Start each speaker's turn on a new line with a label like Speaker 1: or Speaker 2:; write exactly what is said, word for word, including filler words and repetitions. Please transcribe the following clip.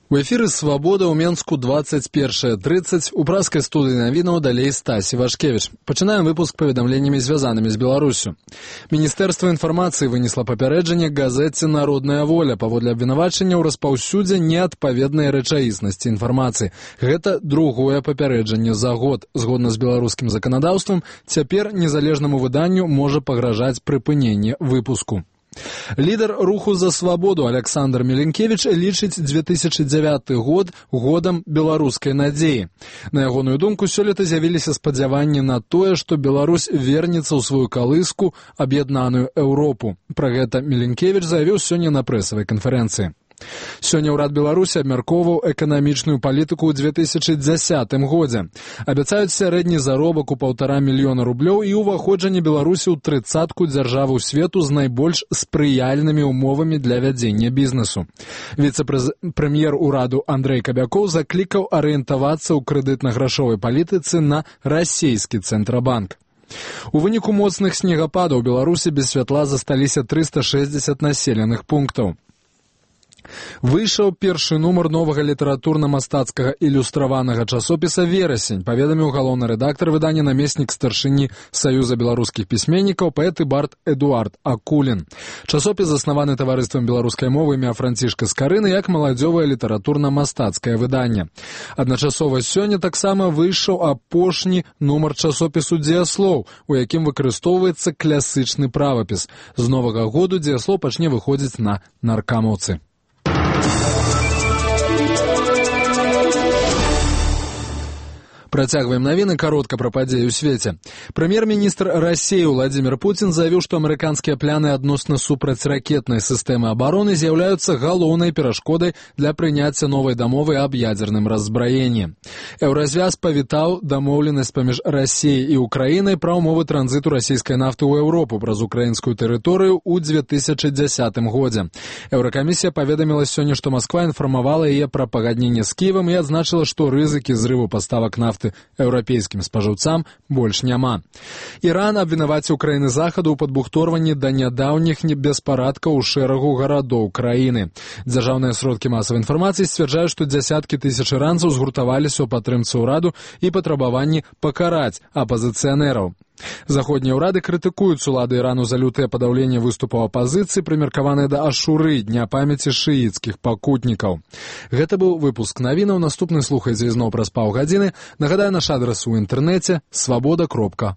Speaker 1: У эфіры «Свабода» ў Менску двадцать першая тридцать. У праскай студыі навінаў далей Стась Івашкевіч. Пачынаем выпуск паведамленнямі, звязанымі з Беларусю. Міністэрства інфармацыі вынесла папярэджанне газеце «Народная воля» паводле абвінавачання ў распаўсюдзе неадпаведнай рэчаіснасці інфармацыі. Гэта другое папярэджанне за год. Згодна з беларускім заканадаўствам, цяпер незалежнаму выданню можа пагражаць прыпыненне выпуску. Лідар руху за свабоду Александр Меленкевич лічыць две тысячи дзевяты год годам беларускай надзеі. На ягоную думку, сёлета з'явіліся спадзяванні на тое, што Беларусь вернецца ў сваю калыску, аб'яднаную Еўропу. Пра гэта Меленкевич заявіў сёння на прэсавай канферэнцыі. Сёння ўрад Беларусі абмяркоўваў эканамічную палітыку ў две тысячи дзесятым годзе. Абяцаюць сярэдні заробак у паўтара мільёна рублёў і ўваходжанне Беларусі ў трыццатку дзяржаваў свету з найбольш спрыяльнымі ўмовамі для вядзення бізнесу. Віцэ-прэм'ер ураду Андрэй Кабякоў заклікаў арыентавацца ў крэдытна-грашовай палітыцы на расійскі цэнтрабанк. У выніку моцных снегападаў у Беларусі без святла засталіся трыста шэсцьдзесят населеных пунктаў. Выйшаў першы нумар новага літаратурна-мастацкага ілюстраванага часопіса «Верасень», паведаміў галоўны рэдактар выдання, намеснік старшыні Саюза беларускіх пісьменнікаў, паэт і бард Эдуард Акулін. Часопіс заснаваны таварыствам беларускай мовы імя Францішка Скарыны як маладзёвае літаратурна-мастацкае выданне. Адначасова сёння таксама выйшаў апошні нумар часопісу «Дзеяслоў», у якім выкарыстоўваецца класычны правапіс. З новага году «Дзеяслоў» пачне выходзіць на наркамоўцы. Працягваем навіны, каротка пра падзеі ў свеце. Прэм'ер-міністр Расіі Владзімір Пуцін заявіў, што амерыканскія пляны адносна супрацьракетнай сістэмы абароны з'яўляюцца галоўнай перашкодай для прыняцця новай дамовы аб ядзерным раззбраенні. Еўразвяз павітаў дамоўленасць паміж Расіяй і Украінай пра ўмовы транзіту расійскай нафты ў Еўропу праз украінскую тэрыторыю ў две тысячи дзесятым годзе. Еўракамісія паведаміла сёння, што Масква інфармавала яе пра пагадненне з Кіевам і адзначыла, што рызыкі зрыву паставак нафты еўрапейскім спажыўцам больш няма. Іран абвінаваціў краіны захаду ў падбухторванні да нядаўніх беспарадкаў у шэрагу гарадоў краіны. Дзяржаўныя сродкі масавай інфармацыі сцвярджаюць, што дзясяткі тысяч іранцаў згуртаваліся ў падтрымцы ўраду і патрабаванні пакараць апазіцыянераў. Заходнія ўрады крытыкуюць улады Ірану за лютае падаўленне выступаў апазіцыі, прымеркаваныя да Ашуры, дня памяці шыіцкіх пакутнікаў. Гэта быў выпуск навінаў. Наступны слухайце ізноў праз паўгадзіны. Нагадаю, наш адрас у інтэрнэце свабода кропка